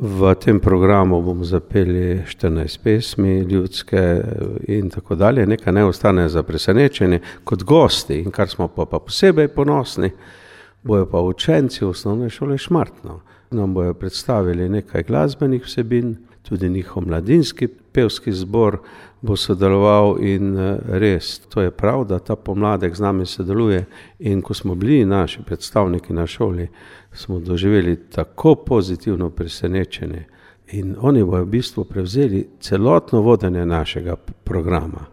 V tem programu bomo zapeli 14 pesmi ljudske in tako dalje. Nekaj ne ostane za presenečenje kot gosti in kar smo pa posebej ponosni, bojo pa učenci osnovne šole Šmartno. Nam bojo predstavili nekaj glasbenih vsebin, tudi njihov mladinski pevski zbor bo sodeloval in res, to je prav, da ta pomladek z nami sodeluje in ko smo bili naši predstavniki na šoli, smo doživeli tako pozitivno presenečenje in oni bojo v bistvu prevzeli celotno vodenje našega programa.